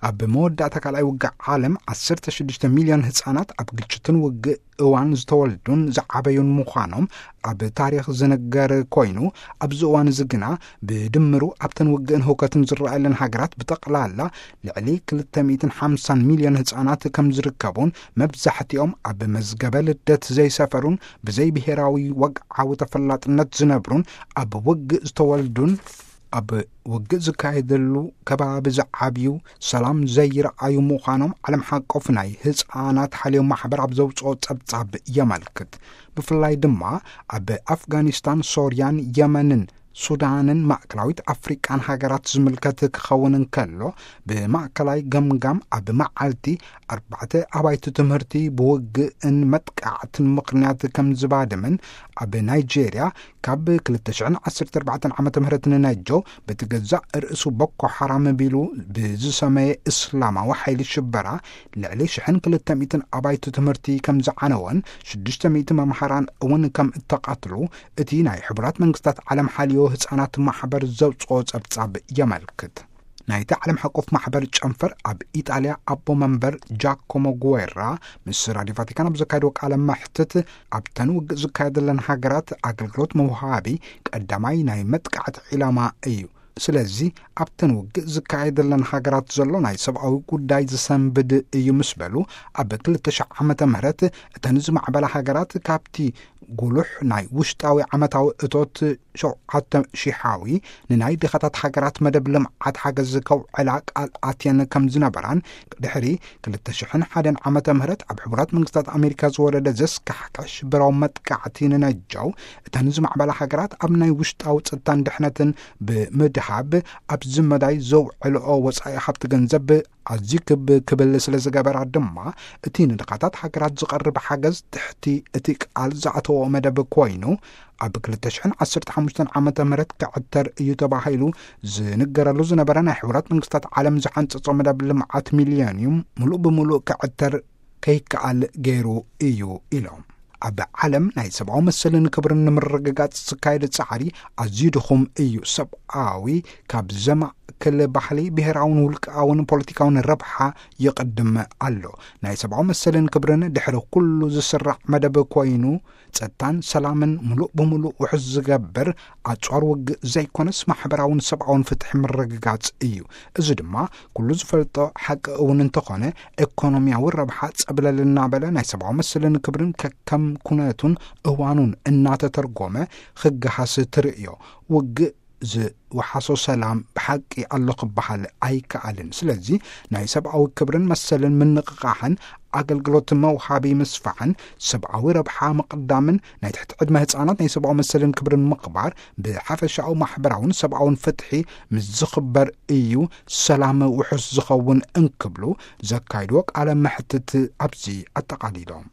ኣብ መወዳእታ ካልኣይ ውግእ ዓለም፣ ዓሰርተ ሽዱሽተ ሚልዮን ህጻናት ኣብ ግጭትን ውግእ እዋን ዝተወልዱን ዝዓበዩን ምዃኖም ኣብ ታሪኽ ዝንገር ኮይኑ፣ ኣብዚ እዋን እዚ ግና ብድምሩ ኣብተን ውግእን ህውከትን ዝረኣየለን ሃገራት ብጠቕላላ ልዕሊ ክልተ ሚእትን ሓምሳን ሚልዮን ህጻናት ከም ዝርከቡን፣ መብዛሕትኦም ኣብ መዝገበ ልደት ዘይሰፈሩን ብዘይ ብሄራዊ ወግዓዊ ተፈላጥነት ዝነብሩን፣ ኣብ ውግእ ዝተወልዱን ኣብ ውግእ ዝካየደሉ ከባቢ ዝዓብዩ፣ ሰላም ዘይረኣዩ ምዃኖም ዓለም ሓቆፍ ናይ ህጻናት ሓልዮ ማሕበር ኣብ ዘውጽኦ ጸብጻብ የመልክት። ብፍላይ ድማ ኣብ ኣፍጋኒስታን፣ ሶርያን፣ የመንን፣ ሱዳንን ማእከላዊት ኣፍሪቃን ሃገራት ዝምልከት ክኸውን እንከሎ፣ ብማእከላይ ገምጋም ኣብ መዓልቲ ኣርባዕተ ኣባይቲ ትምህርቲ ብውግእን መጥቃዕትን ምኽንያት ከም ዝባድምን፣ ኣብ ናይጄርያ ካብ ክልተ ሽሕን ዓሰርተ ኣርባዕተን ዓመተ ምህረት ንነጀው በቲ ገዛእ ርእሱ ቦኮ ሓራም ቢሉ ብዝሰመየ እስላማዊ ሓይሊ ሽበራ ልዕሊ ሽሕን ክልተ ሚእትን ኣባይቲ ትምህርቲ ከም ዝዓነወን ሽዱሽተ ሚእቲ መምሃራን እውን ከም እተቐትሉ እቲ ናይ ሕቡራት መንግስታት ዓለም ሓልዮ ህጻናት ማሕበር ዘውጽኦ ጸብጻብ የመልክት። ናይቲ ዓለም ሓቆፍ ማሕበር ጨንፈር ኣብ ኢጣልያ ኣቦ መንበር ጃኮሞ ጉዌራ ምስ ራድዮ ቫቲካን ኣብ ዘካየድዎ ቃለ መሕትት፣ ኣብተን ውግእ ዝካየደለን ሃገራት ኣገልግሎት መውሃቢ ቀዳማይ ናይ መጥቃዕቲ ዒላማ እዩ። ስለዚ ኣብተን ውግእ ዝካየደለን ሃገራት ዘሎ ናይ ሰብኣዊ ጉዳይ ዝሰንብድ እዩ ምስ በሉ፣ ኣብ ክልተ ሽሕ ዓመተ ምህረት እተን ዝማዕበላ ሃገራት ካብቲ ጉሉሕ ናይ ውሽጣዊ ዓመታዊ እቶት ሸውዓተ ሽሓዊ ንናይ ድኻታት ሃገራት መደብ ልምዓት ሓገዝ ከውዕላ ቃል ኣትየን ከም ዝነበራን፣ ድሕሪ ክልተ ሽሕን ሓደን ዓመተ ምህረት ኣብ ሕቡራት መንግስታት ኣሜሪካ ዝወረደ ዘስካሕክሕ ሽበራዊ መጥቃዕቲ ንነጃው፣ እተን ዝማዕበላ ሃገራት ኣብ ናይ ውሽጣዊ ጸጥታን ድሕነትን ብምድሃብ ኣብዚ መዳይ ዘውዕልኦ ወጻኢ ሃብቲ ገንዘብ ኣዝዩ ክብ ክብል ስለ ዝገበራ ድማ፣ እቲ ንድኻታት ሃገራት ዝቐርብ ሓገዝ ትሕቲ እቲ ቃል ዝኣተዎ መደብ ኮይኑ፣ ኣብ ክልተ ሽሕን ዓሰርተ ሓሙሽተን ዓመተ ምህረት ክዕተር እዩ ተባሂሉ ዝንገረሉ ዝነበረ ናይ ሕቡራት መንግስታት ዓለም ዝሓንጸጾ መደብ ልምዓት ሚልዮንዩም ምሉእ ብምሉእ ክዕተር ከይከኣል ገይሩ እዩ ኢሎም። ኣብ ዓለም ናይ ሰብኣዊ መሰልን ክብርን ንምርግጋጽ ዝካየድ ጻዕሪ ኣዝዩ ድኹም እዩ። ሰብኣዊ ካብ ዘማእክል ባህሊ፣ ብሄራውን ውልቃውን ፖለቲካውን ረብሓ ይቕድም ኣሎ። ናይ ሰብኣዊ መሰልን ክብርን ድሕሪ ኩሉ ዝስራዕ መደብ ኮይኑ፣ ጸጥታን ሰላምን ምሉእ ብምሉእ ውሑስ ዝገብር ኣጽዋር ውግእ ዘይኮነስ፣ ማሕበራውን ሰብኣውን ፍትሒ ምርግጋጽ እዩ። እዚ ድማ ኩሉ ዝፈልጦ ሓቂ እውን እንተኾነ፣ ኤኮኖሚያዊ ረብሓ ጸብለል እናበለ ናይ ሰብኣዊ መሰልን ክብርን ከከም ኩነቱን እዋኑን እናተተርጎመ ክገሃስ ትርእዮ። ውግእ ዝወሓሶ ሰላም ብሓቂ ኣሎ ክበሃል ኣይከኣልን። ስለዚ ናይ ሰብኣዊ ክብርን መሰልን ምንቕቓሕን ኣገልግሎት መውሃቢ ምስፋሕን ሰብኣዊ ረብሓ ምቕዳምን ናይ ትሕቲ ዕድመ ህጻናት ናይ ሰብኣዊ መሰልን ክብርን ምኽባር ብሓፈሻዊ ማሕበራውን ሰብኣውን ፍትሒ ምስ ዝኽበር እዩ ሰላም ውሑስ ዝኸውን እንክብሉ ዘካይድዎ ቃለ መሕትት ኣብዚ ኣጠቓሊሎም።